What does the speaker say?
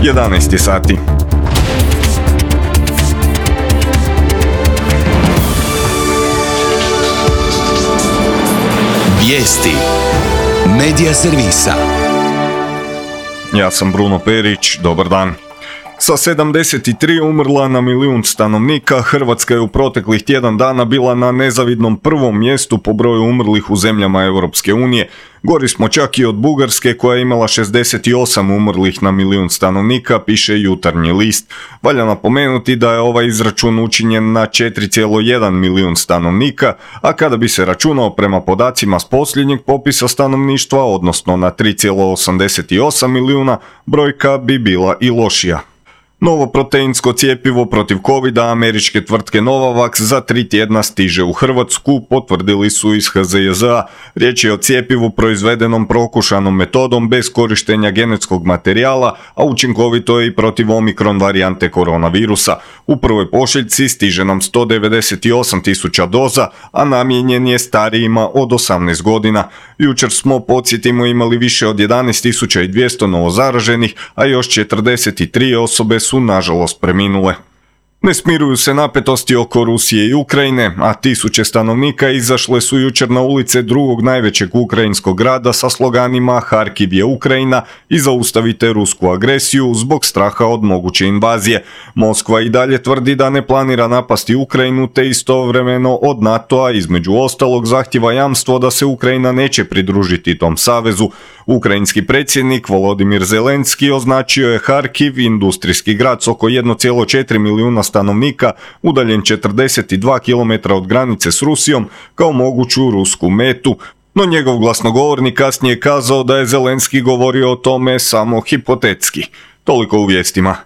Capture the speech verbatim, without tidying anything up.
jedanaest je sati. Vijesti Medija servisa. Ja sam Bruno Perić, dobar dan. Sa sedamdeset tri umrla na milijun stanovnika, Hrvatska je u proteklih tjedan dana bila na nezavidnom prvom mjestu po broju umrlih u zemljama Europske unije. Gori smo čak i od Bugarske koja je imala šezdeset osam umrlih na milijun stanovnika, piše Jutarnji list. Valja napomenuti da je ovaj izračun učinjen na četiri zarez jedan milijun stanovnika, a kada bi se računao prema podacima s posljednjeg popisa stanovništva, odnosno na tri zarez osamdeset osam milijuna, brojka bi bila i lošija. Novo proteinsko cjepivo protiv covida američke tvrtke Novavax za tri tjedna stiže u Hrvatsku, potvrdili su iz H Z J Z-a. Riječ je o cjepivu proizvedenom prokušanom metodom bez korištenja genetskog materijala, a učinkovito je i protiv omikron varijante koronavirusa. U prvoj pošiljci stiže nam sto devedeset osam tisuća doza, a namijenjen je starijima od osamnaest godina. Jučer smo, podsjetimo, imali više od jedanaest tisuća dvjesto novozaraženih, a još četrdeset tri osobe su nažalost preminule. Ne smiruju se napetosti oko Rusije i Ukrajine, a tisuće stanovnika izašle su jučer na ulice drugog najvećeg ukrajinskog grada sa sloganima Harkiv je Ukrajina i zaustavite rusku agresiju zbog straha od moguće invazije. Moskva i dalje tvrdi da ne planira napasti Ukrajinu, te istovremeno od NATO-a između ostalog zahtjeva jamstvo da se Ukrajina neće pridružiti tom savezu. Ukrajinski predsjednik Volodimir Zelenski označio je Harkiv, industrijski grad s oko jedan zarez četiri milijuna stanovnika, udaljen četrdeset dva kilometra od granice s Rusijom, kao moguću rusku metu, no njegov glasnogovornik kasnije je kazao da je Zelenski govorio o tome samo hipotetski. Toliko u vijestima.